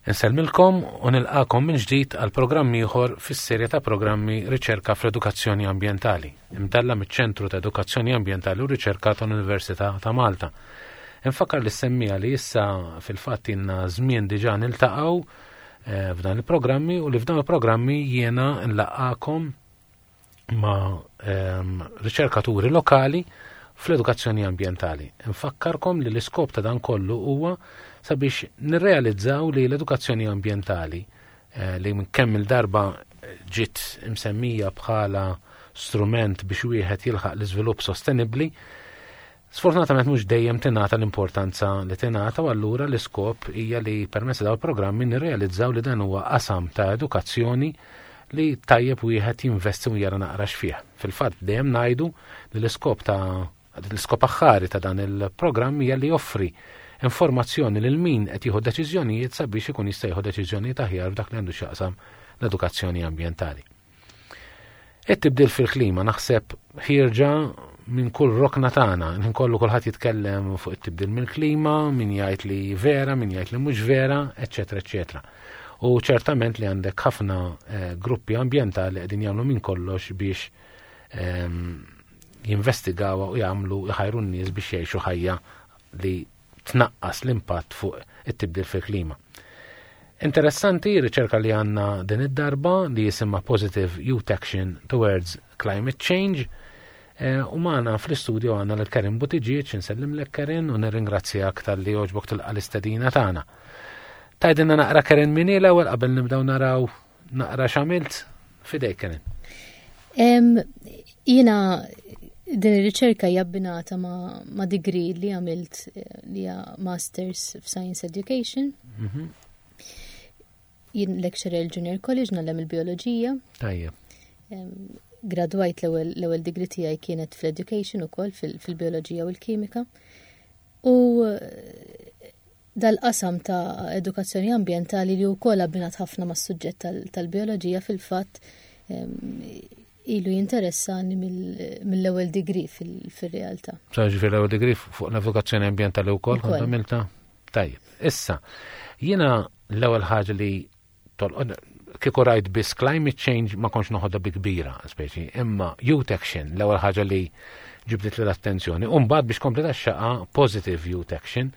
Insellmilkom u nilqakom minn ġdid għal programm ieħor fis-serje ta' programmi Riċerka fl-Edukazzjoni Ambjentali, imtella miċ-Ċentru ta' Edukazzjoni Ambjentali u Riċerka tal-Università ta' Malta. Infakkar li semmija li issa fil-fatt inna żmien diġà niltaqgħu eh, f'dan il-programmi u li f'dan il-programmi jiena nlaqgħakom ma' ehm, riċerkaturi lokali fl-edukazzjoni ambjentali. Nfakkarkom li l-iskop ta' dan kollu huwa sabiex nirrealizzaw li l-edukazzjoni ambjentali eh, li kemm il-darba ġiet imsemmija bħala strument biex wieħed jilħaq l-iżvilupp sostenibbli, Sfortunatament mhux dejjem tingħata l-importanza li tingħata u allura l-iskop hija li permezz dawn il-programmi nirrealizzaw li dan huwa qasam ta' edukazzjoni li tajjeb wieħed jinvesti u jara naqra x'fih. Fil-fatt dejjem ngħidu li l-iskop ta' l-iskop aħħari ta' dan il-programm hija li joffri informazzjoni lil min qed jieħu deċiżjonijiet sabiex ikun jista' jieħu deċiżjonijiet aħjar f'dak li għandu x'jaqsam l-edukazzjoni ambjentali. It-tibdil fil-klima naħseb ħierġa minn kull rokna tagħna, minn kollu kulħadd jitkellem fuq it-tibdil mill-klima, min jgħid li vera, min jgħid li mhux vera, eċetera, eċetera. U ċertament li għandek ħafna eh, gruppi ambjentali qegħdin jagħmlu minn kollox biex ehm, jinvestigaw u jagħmlu jħajru n-nies biex jgħixu ħajja li tnaqqas l-impatt fuq it-tibdil fil-klima. Interessanti riċerka li għanna din id-darba li jisimha Positive Youth Action Towards Climate Change eh, u maħna fl-istudio għanna l-Karin Buttigieg, nsellimlek Karin u nirringrazzjak tal-li oġbok tilqa l-istedina tagħna. Tajdinna naqra Karin minni l-ewwel qabel nibdew naraw Naqra x'għamilt fidejk Karen. Jiena din ir-riċerka hija abbinata ma, ma degree li għamilt eh, li hija Masters f'Science Education. Mm -hmm. Jien lecturer Junior College nagħlem il-bioloġija. Tajjeb. Gradwajt l-ewwel degree tiegħi kienet fl-education ukoll fil-bioloġija u l-kimika. U Dal-qasam ta' edukazzjoni ambjentali li wkoll abbinat ħafna mas-suġġett tal-bioloġija fil-fatt ilu jinteressani mill-ewwel degree fil-realtà. Ġifieri l-ewwel degree fuq l-edukazzjoni ambjentali wkoll kont għamilta? Tajjeb. Issa, jiena l-ewwel ħaġa li kieku rajt biss climate change ma kontx noħodha bi kbira, speċi, imma youth action, l-ewwel ħaġa li ġibdit l-attenzjoni. U mbagħad biex kompleta xaqa positive youth action.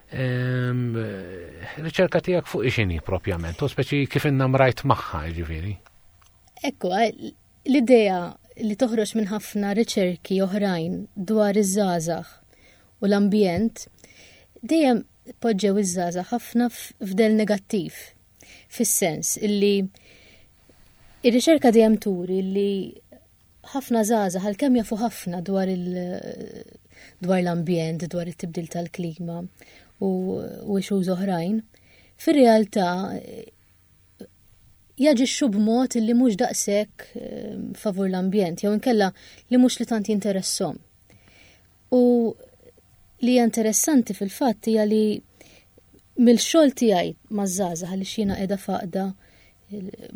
Ehm, riċerka tiegħek fuq ixini propjament, u speċi kif inna mrajt magħha, ġifieri. Ekku, eh, l-idea li toħroġ minn ħafna riċerki oħrajn dwar iż-żgħażagħ u l-ambjent dejjem poġġew iż-żgħażagħ ħafna f'dell negattiv. Fis-sens illi ir-riċerka dejjem turi li ħafna żgħażagħ għalkemm jafu ħafna dwar il dwar l-ambjent, dwar it-tibdil tal-klima u, u issues oħrajn, fir-realtà jaġixxu b'mod li mhux daqshekk eh, favur l-ambjent, jew inkella li mhux li tant jinteressom. U li hija interessanti fil-fatt hija li mill-xogħol tiegħi maż-żgħażagħ għaliex jiena qiegħda faqda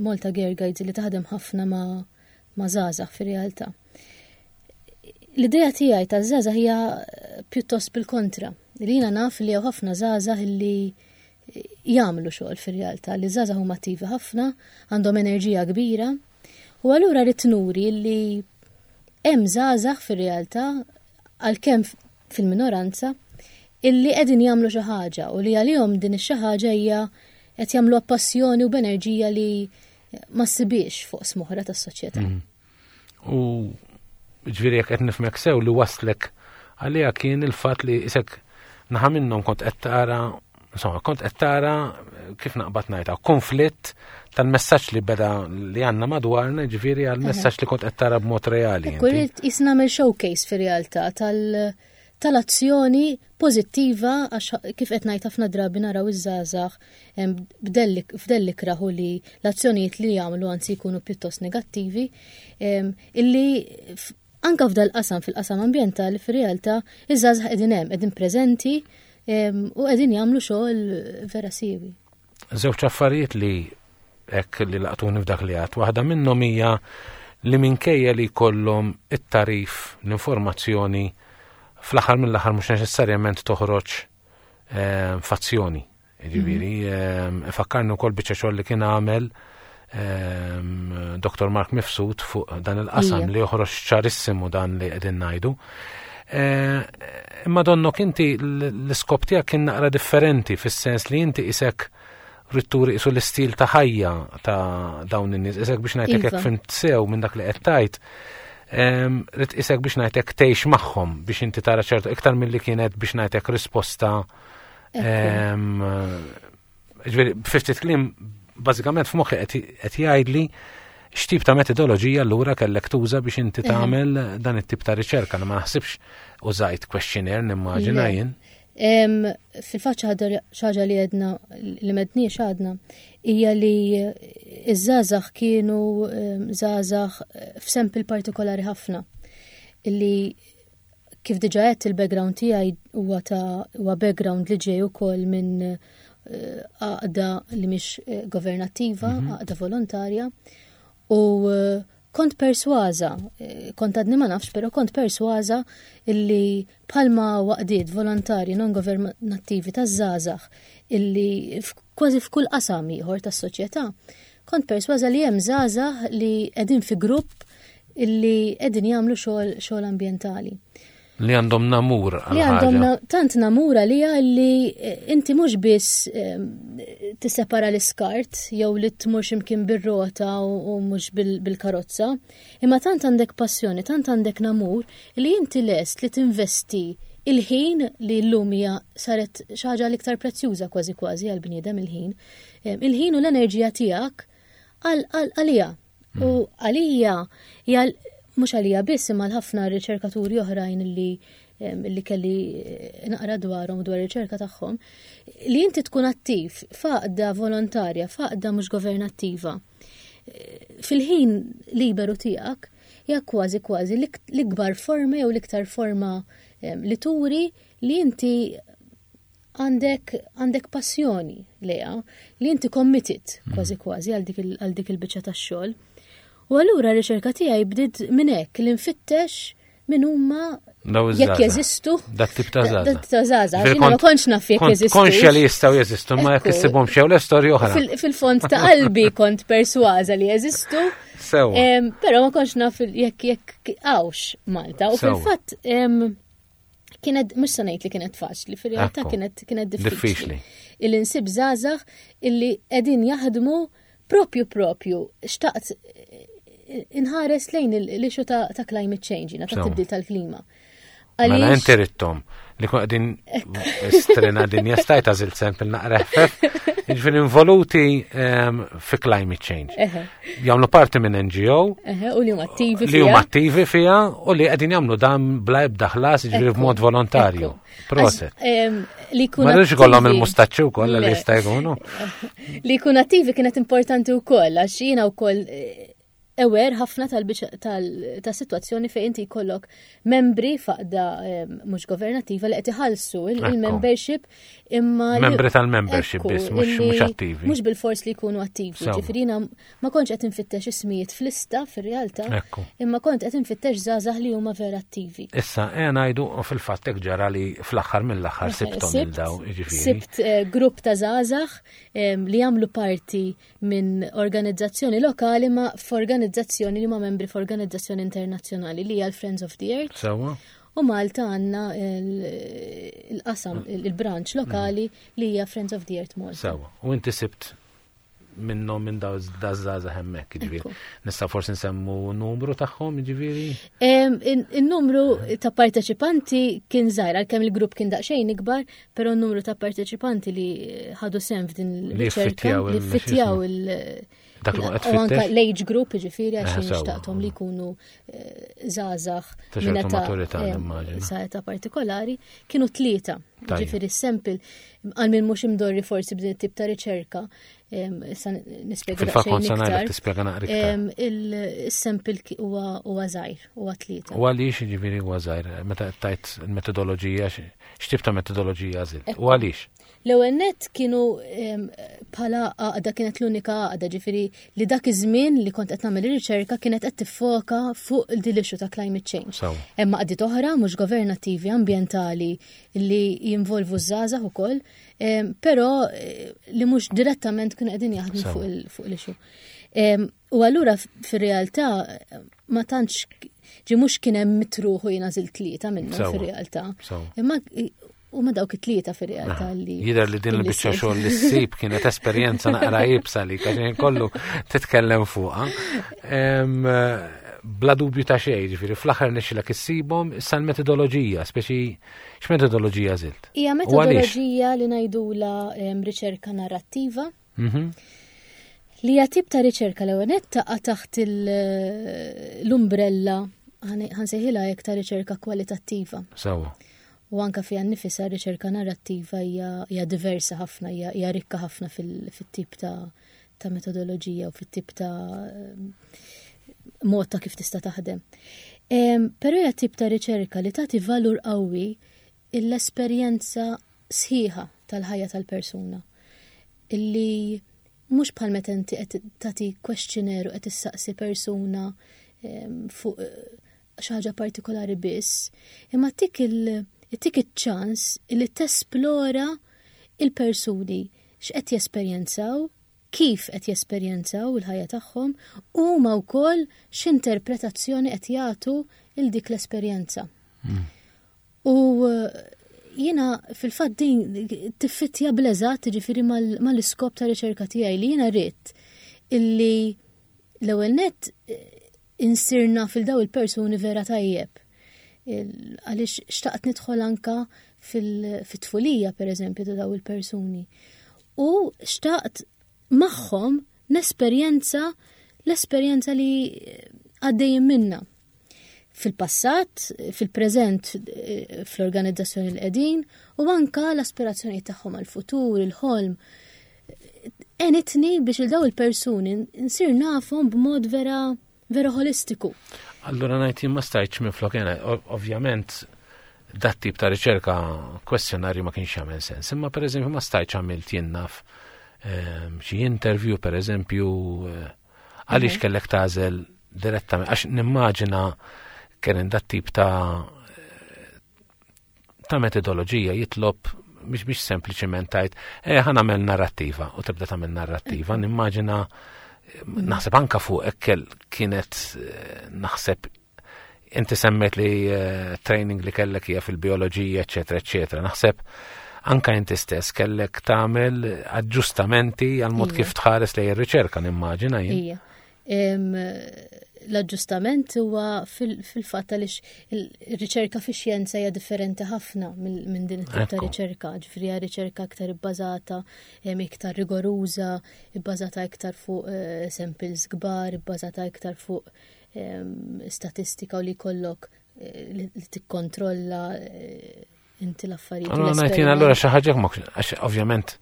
Malta Girl Guides li taħdem ħafna ma' ma' żgħażagħ fir-realtà. L-idea tiegħi taż-żgħażagħ hija pjuttost bil-kontra. Li jiena naf li hawn ħafna żgħażagħ li jagħmlu xogħol fir-realtà, li żgħażagħ huma attivi ħafna, għandhom enerġija kbira, U allura rrid nuri li hemm żgħażagħ fir-realtà għalkemm fil-minoranza illi qegħdin jagħmlu xi ħaġa u li għalihom din ix-xi ħaġa hija qed jagħmlu passjoni u b'enerġija li ma ssibiex fuq smoħra tas-soċjetà. Mm. U ġifieri jekk qed nifhmek sew li waslek għaliha kien il-fatt li isek naħa minnhom kont qed tara insomma, kont qed tara kif naqbad ngħidha, konflitt tal-messaġġ li beda li għandna madwarna, ġifieri għall-messaġġ li kont qed tara b'mod reali. Kull jisna nagħmel showcase fir-realtà tal- tal-azzjoni pożittiva għax kif qed ngħid ħafna drabi naraw iż-żgħażagħ f'delli kraħu li l-azzjonijiet li jagħmlu anzi jkunu pjuttost negattivi illi anka f'dal qasam fil-qasam ambjentali fir-realtà iż-żgħażagħ qegħdin hemm, qegħdin preżenti u qegħdin jagħmlu xogħol vera siewi. Żewġ affarijiet li hekk li laqtuni f'dak li għad. Waħda minnhom hija li minkejja li jkollhom it-tarif, l-informazzjoni, fl-aħħar mill-aħħar mhux neċessarjament toħroġ eh, fazzjoni. Ġifieri, ifakkarni wkoll biċċa xogħol li kien għamel Dr. Mark Mifsud fuq dan il-qasam li joħroġ ċarissimu dan li qegħdin ngħidu. Eh, imma donnok inti l-iskop tiegħek kien naqra differenti fis-sens li inti isek ritturi isu l-istil ta' ħajja ta' dawn in-nies, isek biex ngħidlek hekk iva. fimt sew minn dak li qed tgħid. Rid isek biex ngħidlek tgħix magħhom biex inti tara ċertu iktar milli kienet biex ngħidlek risposta. Ġifieri, fiftit kliem bażikament f'moħħi qed jgħidli x'tip ta' metodoloġija allura kellek tuża biex inti tagħmel dan it-tip ta' riċerka. Ma naħsibx użajt questionnaire nimmaġina jien. Fil-fatt xi ħaġa li għedna li m'għedniex għadna hija li iż-żgħażagħ kienu żgħażagħ f'sample partikolari ħafna illi kif diġa għedt il-background tiegħi huwa ta' huwa background li ġej ukoll minn eh, għaqda li mhix eh, governattiva, għaqda volontarja u eh, kont persważa, kont għadni ma nafx, pero kont persważa illi bħalma għaqdiet volontarji non governattivi ta' żgħażagħ illi kważi f'kull qasam ieħor tas-soċjetà, kont persważa li hemm żgħażagħ li qegħdin fi grupp illi qegħdin jagħmlu xogħol xogħol ambjentali. Li għandhom namur Li għandhom tant namur għalija li eh, inti mhux biss eh, tissepara l-iskart jew li tmur x'imkien bir-rota u mhux bil-karozza, imma tant għandek passjoni, tant għandek namur li inti lest li tinvesti il-ħin li llum hija saret xi ħaġa l-iktar prezzjuża kważi kważi għal-bniedem il-ħin. Eh, Il-ħin u l-enerġija tiegħek għalija. U għalija hija mhux għalija biss imma l-ħafna riċerkaturi oħrajn li kelli eh, naqra dwarhom dwar riċerka tagħhom, li inti tkun attiv f'għaqda volontarja, f'għaqda mhux governattiva. Eh, Fil-ħin liberu tiegħek hija kważi kważi l-ikbar forma jew l-iktar forma li turi li inti għandek passjoni lejha, li inti committed kważi kważi għal dik il-biċċa tax-xogħol. U allura r-riċerka tiegħi bdiet minn hekk li nfittex min huma jekk jeżistu. Dat tip ta' żgħażagħ. Dat ta' żgħażagħ. Jiena ma kontx naf jekk jeżistu. Konxja li jistgħu jeżistu, ma jekk issibhom xew l-istorja oħra. Fil-fond ta' qalbi kont persważa li jeżistu. Sewa. Però ma kontx naf jekk hawnx Malta. U fil-fatt kienet mhux se ngħid li kienet faċli, fir-realtà kienet diffiċli. Illi nsib żgħażagħ illi qegħdin jaħdmu propju xtaqt inħares lejn l-issue ta' climate change, ta' tibdil tal-klima. Mela inti ridthom li kun qegħdin strena dinja stajt għażilt sample naqra ħfef, jiġifieri involuti fi climate change. Jagħmlu parti minn NGO. U li huma attivi Li huma attivi fiha u li qegħdin jagħmlu dan bla ebda ħlas jiġifieri b'mod volontarju. Proset. Li jkun Ma rridx ikollhom il-mustaċċi wkoll li jista' jkunu. Li jkun attivi kienet importanti wkoll għax jiena wkoll eh, aware ħafna tal-situazzjoni fejn inti jkollok membri f'għaqda mhux governattiva li qed iħallsu il-membership imma membri tal-membership biss mhux attivi. Mhux bil-fors li jkunu attivi. Ġifieri ma kontx qed infittex ismijiet f'lista fir-realtà, imma kont qed infittex żgħażagħ li huma vera attivi. Issa ejja ngħidu fil-fatt hekk ġara li fl-aħħar mill-aħħar sibthom il daw, jiġifieri. Sibt eh, grupp ta' żgħażagħ li jagħmlu parti minn organizzazzjoni lokali ma f'organizzazzjoni li ma membri f'organizzazzjoni internazzjonali li hija l-Friends of the Earth. Sewa. U Malta għandna il-qasam, il-branch lokali li hija Friends of the Earth Malta. Sewa. U inti sibt minnhom minn daw daż-żgħażagħ hemmhekk, jiġifieri. Nista' forsi nsemmu numru tagħhom, jiġifieri? In-numru ta' parteċipanti kien żgħir, għalkemm il-grupp kien daqsxejn ikbar, però n-numru ta' parteċipanti li ħadu sehem f'din il-riċerka li fittjaw il- Dak li qed U anka tfittex. l-age group, ġifieri, għax Sewa. xtaqthom li jkunu eh, żgħażagħ Ta' ċertu minn età, maturità, nimmaġina. sa età partikolari, kienu tlieta. Tajjeb. Ġifieri sample għal min mhux imdorri forsi b'din it-tip ta' riċerka, issa nispjega Fil-fatt kont daqsxejn se ngħidlek iktar. tispjega naqra iktar. Il-sample huwa żgħir, huwa tlieta. U għaliex jiġifieri huwa żgħir, meta qed tajt il-metodoloġija, x'tip ta' metodoloġija għażilt? U għaliex? L-ewwel nett kienu bħala għaqda kienet l-unika għaqda ġifieri li dak iż-żmien li kont qed nagħmel ir-riċerka kienet qed tiffoka fuq din l-issue ta' climate change. Hemm għaqdiet oħra mhux governattivi ambjentali li jinvolvu ż-żgħażagħ ukoll, però eh, li mhux direttament kienu qegħdin jaħdmu fuq l-issue. U allura fir-realtà ma tantx ġi mhux kien hemm mitruħu jiena żilt tlieta minnhom fir-realtà. Imma huma dawk it-tlieta fir-realtà li. Jidher li din il-biċċa xogħol li ssib kienet esperjenza naqra iebsa li għax kollu titkellem fuqha. Bla dubju ta' xejn, ġifieri fl-aħħar nixilek issibhom issa l-metodoloġija, speċi x'metodoloġija żilt? Hija metodoloġija li ngħidula riċerka narrattiva. Li hija tip ta' riċerka l ewwel taqa' taħt l-umbrella ħansejħilha hekk ta' riċerka kwalitattiva. Sewwa. U anka fiha nnifisha riċerka narrattiva hija diversa ħafna, hija rikka ħafna fit-tip ta' ta' metodoloġija u fit-tip ta' mod ta' kif tista' taħdem. Però hija tip ta' riċerka li tagħti valur qawwi l-esperjenza sħiħa tal-ħajja tal-persuna. Illi mhux bħal meta inti qed tagħti questionnaire u qed issaqsi persuna fuq xi ħaġa partikolari biss, imma tik il tik iċ-ċans li tesplora il-persuni x'qed jesperjenzaw, kif qed jesperjenzaw il-ħajja tagħhom u huma wkoll x'interpretazzjoni qed jagħtu il dik l-esperjenza. U jiena fil-fatt din tiffittja bl-eżatt ġifieri mal-iskop ta' riċerka tiegħi li jiena rrid illi l-ewwel nett insir naf il daw il-persuni vera tajjeb. Għaliex xtaqt nidħol anka fil-tfulija per eżempju ta' daw il-persuni. U xtaqt magħhom nesperjenza l-esperjenza li għaddejjin minna. Fil-passat, fil-preżent, eh, fl-organizzazzjoni l qegħdin u anka l-aspirazzjoni tagħhom għal-futur, il-ħolm. Enitni biex il daw il-persuni nsir nafhom b'mod vera vera holistiku. Allura ngħid jien ma stajtx minflok jena, ovvjament dat tip ta' riċerka kwestjonarju ma kienx jagħmel sens, imma pereżempju ma stajtx għamilt jien naf ehm, xi interview pereżempju eh, għaliex mhm. kellek tagħżel direttament għax nimmaġina kien dat tip ta' ta' metodoloġija jitlob biex biex sempliċement tajt, eh, ħa nagħmel narrattiva u tibda tagħmel narrattiva, nimmaġina naħseb anka fuq ekkel kienet eh, naħseb inti semmejt li eh, training li kellek hija fil-bioloġija, eċetera, eċetera. Naħseb anka inti stess kellek tagħmel aġġustamenti għal mod kif tħares lejn ir-riċerka nimmaġina jien. L-aġġustament huwa fil-fatt għaliex ir-riċerka fix-xjenza hija differenti ħafna minn din it-tip ta' riċerka, ġifieri hija riċerka aktar ibbażata, iktar rigoruża, ibbażata iktar fuq eh, samples kbar, ibbażata iktar fuq statistika u li jkollok eh, li tikkontrolla eh, inti l-affarijiet. Allora ngħid jien allura xi ħaġa għax ovvjament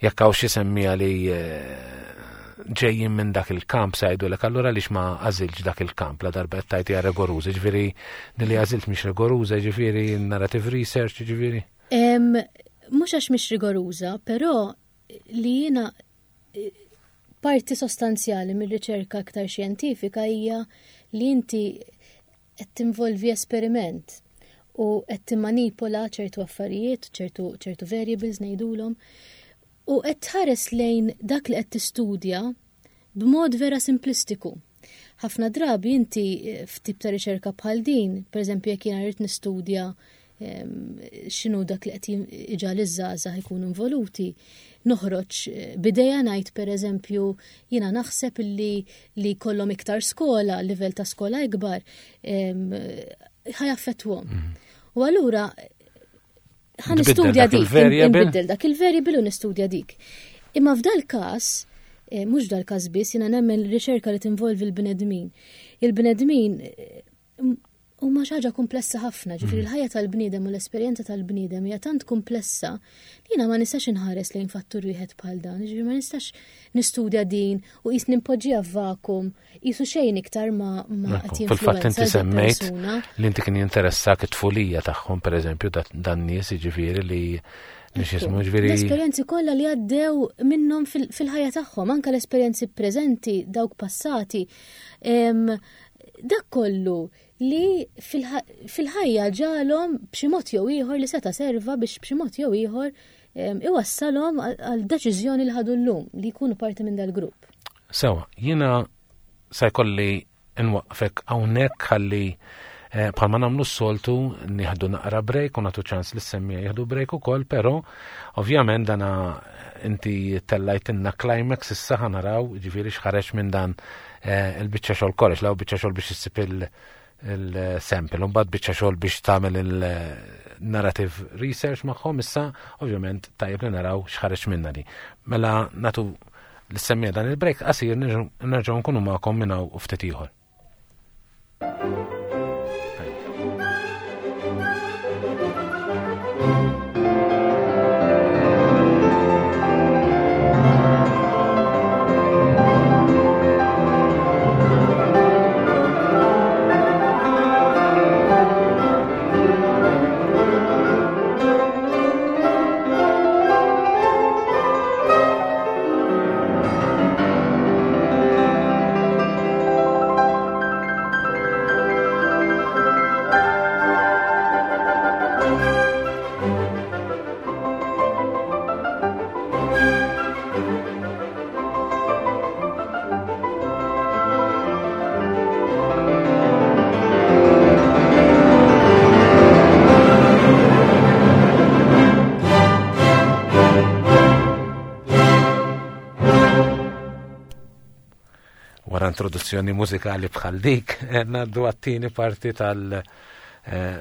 jekk hawn xi semmija li eh, ġejjin minn dak il-kamp se jgħidulek allura għaliex ma għażilx dak il-kamp la darba qed tgħid hija rigoruża, ġifieri din li għażilt mhix rigoruża, ġifieri narrative research, ġifieri. Mhux għax mhix rigoruża, però li jiena eh, parti sostanzjali mir-riċerka aktar xjentifika hija li inti qed tinvolvi esperiment u qed timmanipola ċertu affarijiet, ċertu, ċertu variables ngħidulhom, u qed tħares lejn dak li qed tistudja b'mod vera simplistiku. Ħafna drabi inti eh, f'tip ta' riċerka bħal din, pereżempju jekk jiena rrid nistudja x'inhu dak li qed iġal iż-żgħażagħ ikunu involuti, noħroġ eh, bidejja ngħid pereżempju jiena naħseb li li jkollhom iktar skola, livell ta' skola ikbar, ħajaffettwhom. Mm. U allura ħa nistudja dik, nbiddel dak il-variable u nistudja dik. Imma f'dal każ, eh, mhux dal każ biss, jiena nemmen riċerka li tinvolvi l-bnedmin. Il-bnedmin eh, huma xi ħaġa komplessa ħafna, ġifieri mm. l-ħajja tal-bniedem u l-esperjenza tal-bniedem hija tant komplessa li jiena ma nistax inħares lejn fattur wieħed bħal dan, ġifieri ma nistax nistudja din u qis nimpoġġiha f'vakum, qisu xejn iktar ma ma qed Fil-fatt inti semmejt li inti kien jinteressak it-tfulija tagħhom pereżempju dan nies jiġifieri li Biex jismu ġviri. L-esperjenzi kollha li għaddew minnhom fil-ħajja tagħhom, anke l-esperjenzi preżenti, dawk passati. Dak kollu li fil-ħajja ġalhom b'xi mod jew ieħor li seta' serva biex b'xi mod jew ieħor iwassalhom għal deċiżjoni li ħadu llum li jkunu parti minn dal-grupp. Sewa, jiena se jkolli nwaqqfek hawnhekk ħalli eh, bħalma nagħmlu s-soltu nieħdu naqra break u nagħtu ċans li semmija jieħdu break ukoll, però ovvjament dana inti tellajtinna climax issa ħanaraw ġifieri x'ħareġ minn dan eh, il-biċċa xogħol kollox, law biċċa xogħol biex issib il-sample, u mbagħad biċċa xogħol biex tagħmel il-narrative research magħhom issa ovvjament tajjeb li naraw x'ħareġ minna di. Mela natu l-semmija dan il-break qasir nerġgħu nkunu magħkom minn hawn u ftit ieħor. Wara introduzzjoni mużikali bħal dik, eh, ngħaddu għat-tieni parti tal- eh,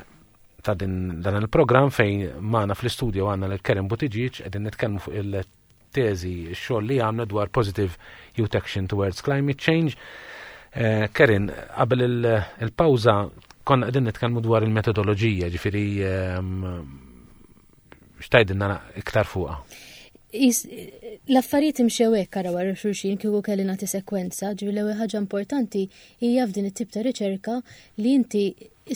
ta' din dan il-programm fejn magħna fl-istudio għandna lil Karen Buttigieg qegħdin nitkellmu fuq il-teżi x-xogħol li għamla dwar Positive Youth Action Towards Climate Change. Eh, Karen, qabel il-pawża konna qegħdin nitkellmu dwar il-metodoloġija, ġifieri ehm, x'tgħidilna iktar fuqha? L-affarijiet imxew hekk ara wara xulxin kieku kelli nagħti sekwenza, ġifieri l-ewwel ħaġa importanti hija f'din it-tip ta' riċerka li inti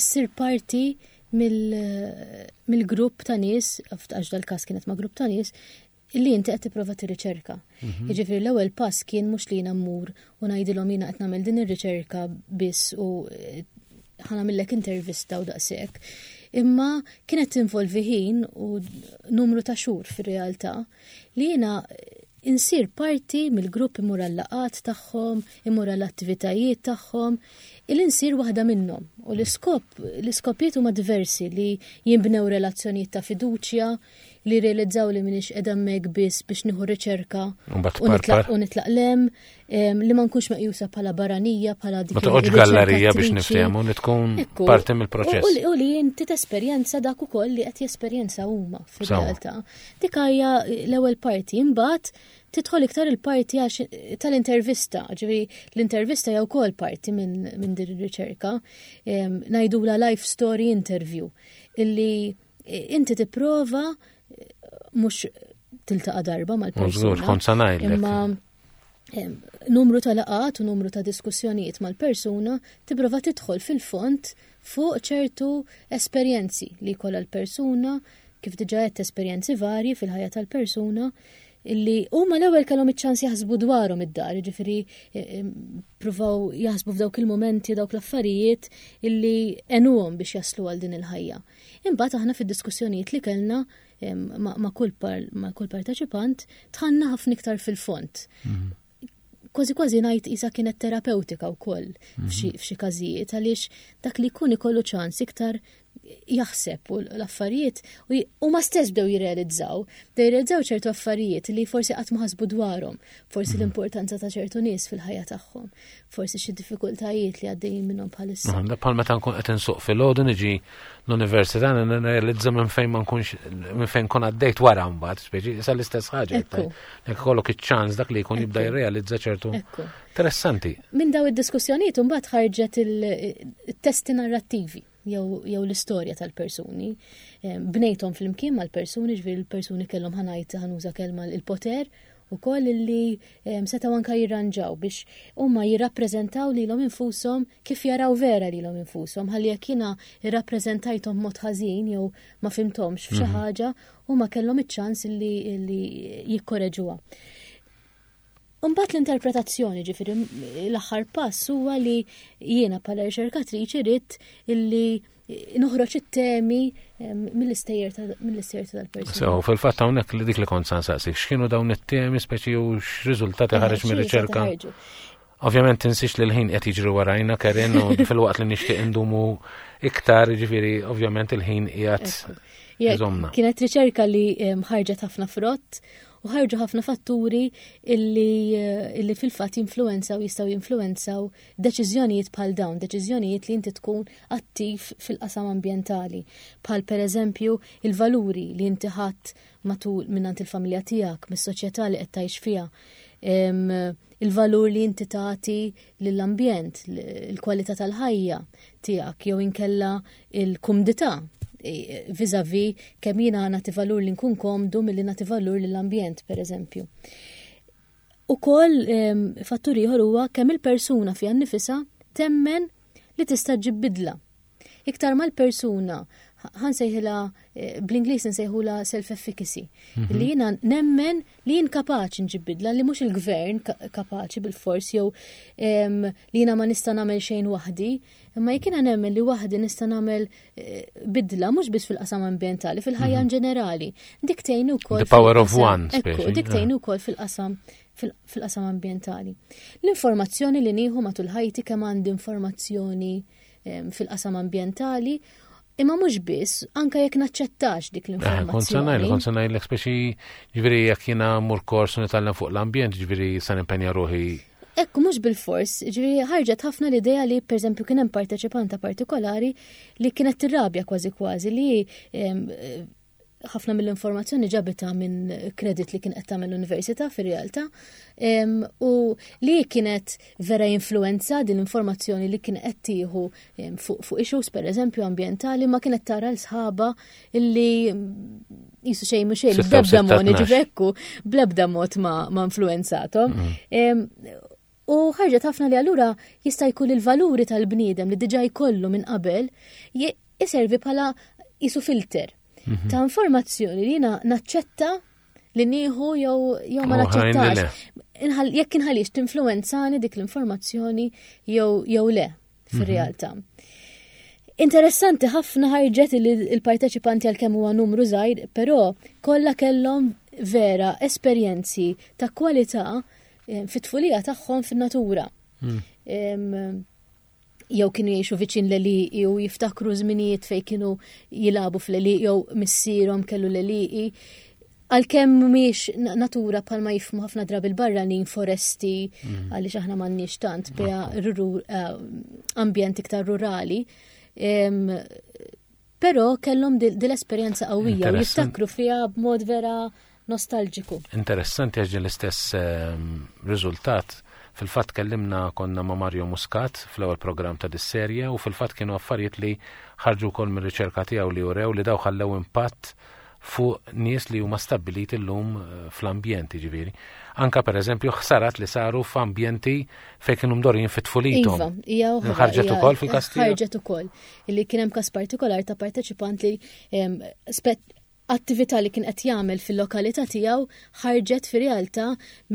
issir parti mill-grupp ta' nies, għax dal-każ kienet ma' grupp ta' nies, li inti qed tipprova tirriċerka. Mhm. Jiġifieri l-ewwel pass kien mhux li jiena mmur u ngħidilhom jiena qed nagħmel din ir-riċerka biss u eh, ħanamillek intervista u daqshekk. Imma kienet tinvolvi ħin u numru ta' xhur fir-realtà li jiena insir parti mill-grupp imur għal-laqat tagħhom, imur għall-attivitajiet tagħhom, il insir waħda minnhom. U l-iskop, l-iskopijiet huma diversi li jinbnew relazzjonijiet ta' fiduċja, li realizzaw li minix qiegħda hemmhekk biss biex nieħu riċerka u nitlaq lem, li ma nkunx meqjusa bħala barranija, bħala dik. Ma toqgħodx gallerija biex niftehmu li tkun parti mill-proċess. U li inti tesperjenza dak ukoll li qed jesperjenza huma fir-realtà. Dik hija l-ewwel parti, imbagħad tidħol iktar il-parti tal-intervista, ġifieri l-intervista hija wkoll parti minn din ir-riċerka, ngħidula life story interview, illi inti tipprova mhux tiltaqa' darba mal-persuna. Kont sa ngħidlek. Imma numru ta' laqat u numru ta' diskussjonijiet mal-persuna tipprova tidħol fil-fond fuq ċertu esperjenzi li jkollha l-persuna, kif diġà għedt esperjenzi varji fil-ħajja tal-persuna, illi huma l-ewwel kellhom iċ-ċans jaħsbu dwarhom id-dar, jiġifieri eh, eh, pruvaw jaħsbu f'dawk il-mumenti dawk l-affarijiet illi għenuhom biex jaslu għal din il-ħajja. Imbagħad aħna fid-diskussjonijiet li kellna eh, ma' kull parteċipant tħanna ħafna iktar fil-fond. Mhm. Kważi kważi ngħid isa kienet terapeutika wkoll mhm. f'xi każijiet għaliex dak li jkun ikollu ċans iktar jaħseb u l-affarijiet u ma stess bdew jirrealizzaw, bdew jirrealizzaw ċertu affarijiet li forsi qatt ma ħasbu dwarhom, forsi mhm. l-importanza ta' ċertu nies fil-ħajja tagħhom, forsi xi diffikultajiet li għaddejjin minnhom bħalissa. Bħal meta nkun qed insuq fil-għodu niġi l-università nirrealizza minn fejn ma nkunx minn fejn nkun għaddejt wara mbagħad, speċi issa l-istess ħaġa. Jekk ikollok iċ-ċans dak li jkun jibda jirrealizza ċertu. Interessanti. Minn daw id-diskussjonijiet imbagħad ħarġet il-testi narrattivi jew l-istorja tal-persuni. Bnejthom flimkien mal-persuni, ġifieri l-persuni kellhom ħanajt ħanuża kelma il-poter. ukoll li setgħu anke jirranġaw biex huma jirrappreżentaw lilhom infushom kif jaraw vera lilhom infushom ħalli jekk jiena irrappreżentajthom mod ħażin jew ma fimthomx f'xi ħaġa huma kellhom iċ-ċans li jikkoreġuha. Imbagħad l-interpretazzjoni, ġifieri l-aħħar pass huwa li jiena bħala riċerkatriċi ridt illi noħroġ it-temi mill-istejjer tal-persuna. So, fil-fatt hawnhekk li dik li kont sa nsaqsik, x'kienu dawn it-temi speċi u x'riżultati ħareġ mir-riċerka? Ovvjament tinsiex li l-ħin qed jiġri warajna Karen u fil-waqt li nixtieq indumu iktar, ġifieri ovvjament il-ħin qiegħed iżomna. Kienet riċerka li ħarġet ħafna frott u ħarġu ħafna fatturi illi, eh, illi fil-fatt jinfluwenzaw jistgħu jinfluwenzaw deċiżjonijiet bħal dawn, deċiżjonijiet li inti tkun attiv fil-qasam ambjentali, bħal pereżempju il-valuri li inti ħadd matul minnant il-familja tiegħek, mis-soċjetà li qed tgħix fiha, il-valur li inti tagħti lill-ambjent, il-kwalità tal-ħajja tiegħek jew inkella il-kumdità e, vizavi kemm jiena nagħti valur li nkun komdu milli nagħti valur lill-ambjent pereżempju. Ukoll fattur ieħor huwa kemm il-persuna fiha nnifisha temmen li tista' ġib bidla. Iktar mal-persuna ħansejħilha eh, bl-Ingliż nsejħula self-efficacy. Li jiena nemmen li jien kapaċi nġib bidla li mhux il-gvern kapaċi bil-fors jew li jiena ma nista' nagħmel xejn waħdi, imma jekk jiena nemmen li waħdi nista' nagħmel eh, bidla mhux biss fil-qasam ambjentali, fil-ħajja in ġenerali. Dik tgħin ukoll. The power of one. Ekku, dik tgħin ukoll fil-qasam fil-qasam ambjentali. L-informazzjoni li nieħu matul ħajti kemm għandi informazzjoni fil-qasam ambjentali, imma mhux biss, anka jekk naċċettax dik l-informazzjoni. Kont se ngħid, kont se ngħidlek speċi ġifieri jekk jiena mur kors u nitgħallem fuq l-ambjent, ġifieri se nimpenja ruħi. Ekku mhux bil-fors, ġifieri ħarġet ħafna l-idea li pereżempju kien hemm parteċipanta partikolari li kienet tirrabja kważi kważi li ħafna mill-informazzjoni ġabitha minn kredit li kien qed tagħmel l-università fir-realtà u li kienet vera influenza din l-informazzjoni li kien qed tieħu fuq fu issues pereżempju ambjentali ma kienet tara l-sħaba illi jisu xejn mhux xejn bl-ebda mod ġivekku bl-ebda mod ma, ma influenzatom. U ħarġet ħafna li allura jista' jkun il-valuri tal-bniedem li diġà jkollu minn qabel iservi bħala jisu filter ta' informazzjoni li jiena naċċetta li nieħu jew jew ma naċċettax. Jekk inħallix tinfluwenzani dik l-informazzjoni jew jew le fir-realtà. Interessanti ħafna ħarġet li l-parteċipanti għalkemm huwa numru żgħir, però kollha kellhom vera esperjenzi ta' kwalità eh, fit-tfulija tagħhom fin-natura. Jew kienu jgħixu viċin l-għelieqi u jiftakru żminijiet fejn kienu jilagħbu fl-għelieqi jew missierhom kellu l-għelieqi. Għalkemm mhumiex natura bħalma jifhmu ħafna drabi l-barranin foresti għaliex aħna m'għandniex tant biha eh, ambjent iktar rurali. Però kellhom dil-esperjenza qawwija u jiftakru fiha b'mod vera nostalġiku. Interessanti għax l-istess ehm, riżultat fil-fatt kellimna konna ma' Mario Muscat fl-ewwel programm ta' dis-serje u fil-fatt kienu affarijiet li ħarġu wkoll mir-riċerka tiegħu li urew li daw ħallew impatt fuq nies li huma stabbiliti llum eh, fl-ambjent, jiġifieri. Anka pereżempju ħsarat li saru f'ambjenti fejn kienu mdorin fit-tfulithom. Iva, hija oħra. Ħarġet ukoll fil-każ Ħarġet ukoll. Illi kien hemm każ partikolar ta' parteċipant li attività li kien qed jagħmel fil-lokalità tiegħu ħarġet fir-realtà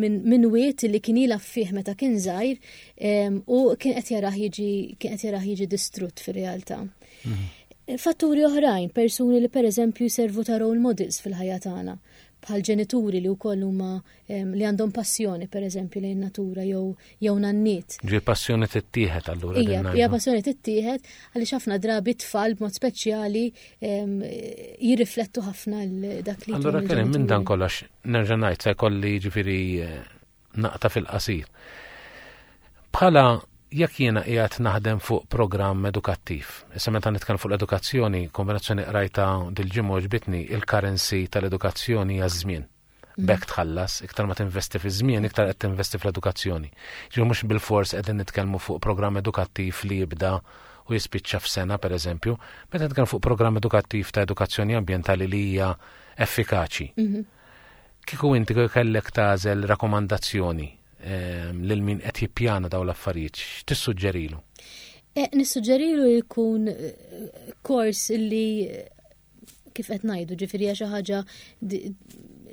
minn min wied li kien jilgħab fih meta kien żgħir u kien qed jarah jiġi kien qed jarah jiġi distrutt fir-realtà. Fatturi oħrajn, persuni li pereżempju jservu ta' role models fil-ħajja tagħna, bħal ġenituri li wkoll huma li għandhom passjoni pereżempju lejn natura jew jew nanniet. Ġi passjoni tittieħed allura. Ija, hija passjoni tittieħed għaliex ħafna drabi tfal b'mod speċjali jirriflettu ħafna dak li. Allura kien minn dan kollox nerġa' ngħid se jkolli ġifieri eh, naqta' fil-qasir. Bħala jekk jiena qiegħed naħdem fuq programm edukattiv, issa meta nitkellem fuq l-edukazzjoni, kombinazzjoni qrajta dil-ġimgħa ġbitni, il-currency tal-edukazzjoni hija żmien. B'hekk tħallas, iktar ma tinvesti fi żmien, iktar qed tinvesti fl-edukazzjoni. Ġifieri mhux bilfors qegħdin nitkellmu fuq programm edukattiv li jibda u jispiċċa f'sena pereżempju, meta nitkellmu fuq programm edukattiv ta' edukazzjoni ambjentali li hija effikaċi. Kieku inti kellek tagħżel rakkomandazzjoni ehm, lil min qed jippjana dawn l-affarijiet, x'tissuġġerilu? Eh, nissuġġerilu jkun eh, kors li eh, kif qed ngħidu, ġifieri hija xi ħaġa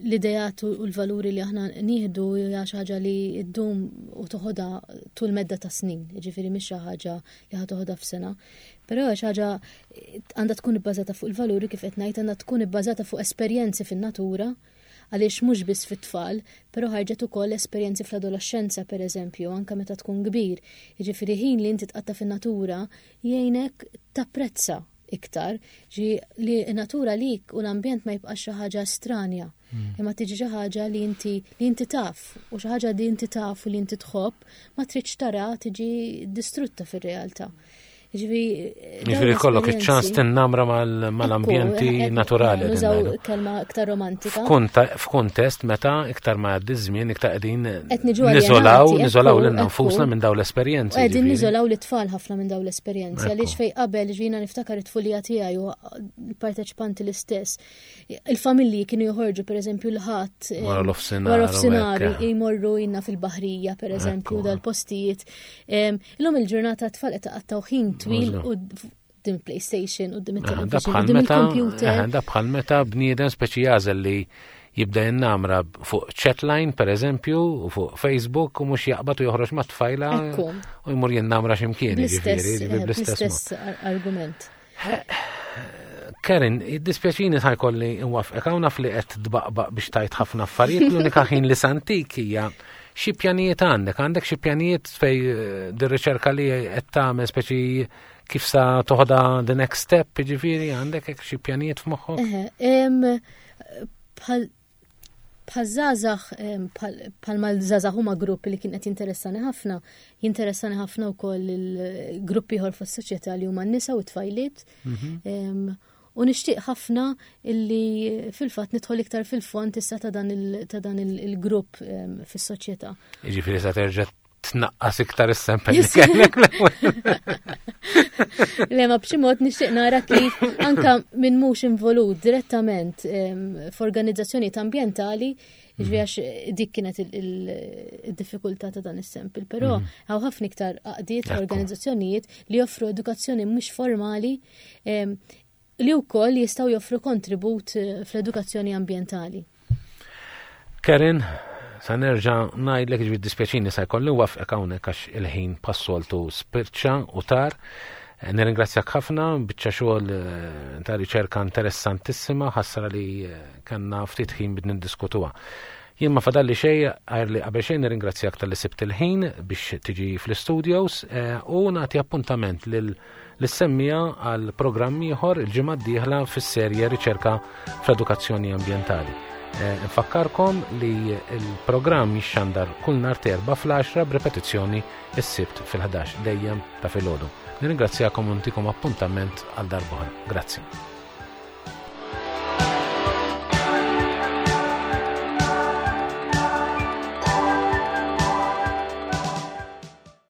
l-idejat u l-valuri li aħna nieħdu hija xi ħaġa li ddum u toħodha tul medda ta' snin, ġifieri mhix xi ħaġa li ħa toħodha f'sena. Però xi ħaġa għandha tkun ibbażata fuq il-valuri kif qed ngħid għandha tkun ibbażata fuq esperjenzi fin-natura għaliex mhux biss fit-tfal, però ħarġet ukoll esperjenzi fl-adolescenza pereżempju, anke meta tkun kbir. Jiġifieri ħin li inti tqatta' fin-natura jgħinek tapprezza iktar, ġi li natura lik u l-ambjent ma jibqax xi ħaġa stranja. Imma tiġi xi ħaġa li inti li inti taf u xi ħaġa li inti taf u li inti tħobb ma tridx tara tiġi distrutta fir-realtà. Ġifieri kollok iċ-ċans tinnamra mal-ambjenti eh, naturali. Nużaw kelma iktar romantika. F'kuntest meta iktar ma jgħaddi żmien iktar qegħdin niżolaw, niżolaw lil nfusna minn dawn l-esperjenzi. Qegħdin niżolaw l-itfal ħafna minn dawn l-esperjenzi għaliex fej qabel ġina niftakar it-tfulija tiegħi u l-parteċipanti l-istess. Il-familji kienu joħorġu per eżempju l-ħadd eh, wara l-ofsinhar jmorru jinna fil-baħrija per eżempju dal-postijiet. Illum il-ġurnata tfal qed taqattaw ħin twil u din PlayStation u din il-television u din il-computer. Da bħal meta bniedem speċi jażel li jibda jinnamra fuq chatline per eżempju u fuq Facebook u mhux jaqbad u joħroġ ma' tfajla u jmur jinnamra x'imkien. Bl-istess argument. Karen, id-dispjaċini ta' jkolli nwafqek hawn naf li qed tbaqbaq biex tajt ħafna affarijiet, l-unika ħin li santik hija xi pjanijiet għandek, għandek xi pjanijiet fej eh, dir-riċerka li qed tagħmel speċi kif sa toħda the next step, jiġifieri għandek hekk xi pjanijiet f'moħħok? Bħal Bħaż-żgħażagħ, bħalma l-żgħażagħ huma grupp li kien qed jinteressani ħafna, jinteressani ħafna wkoll il-grupp ieħor fis-soċjetà li huma n-nisa u t-tfajliet. Mhm. U nixtieq ħafna illi fil-fatt nidħol iktar fil-fond issa ta' dan il-grupp fis-soċjetà. Jiġifieri sa terġa' tnaqqas iktar is-sempel li kellek Le ma b'xi mod nixtieq nara kif anka minn mhux involut direttament f'organizzazzjonijiet ambjentali, ġifieri għax dik kienet il-diffikultà ta' dan is-sempel, però mhm. hawn ħafna iktar għaqdiet organizzazzjonijiet li joffru edukazzjoni mhux formali li wkoll jistgħu joffru kontribut eh, fl-edukazzjoni ambjentali. Karen, sa nerġa' ngħidlek ġbi dispjaċini sa jkolli wafqek hawnhekk għax il-ħin passoltu spirċa u tar. Eh, nirringrazzjak ħafna, biċċa xogħol eh, ta' riċerka interessantissima, ħassra li kellna ftit ħin bid niddiskutuha. Jien ma fadalli xejn għajr li qabel xejn nirringrazzjak talli sibt il-ħin biex tiġi fl-istudios u nagħti appuntament lil lis-semmiegħa għal programm ieħor il-ġimgħa d-dieħla fis-serje Riċerka fl-Edukazzjoni Ambjentali. Eh, nfakkarkom li l-programm jixxandar kull nhar terba fl-10 b'repetizzjoni s-sibt fil-11 dejjem ta' filgħodu. Nirringrazzjakom u ntikom appuntament għal darb'oħra. Grazzi.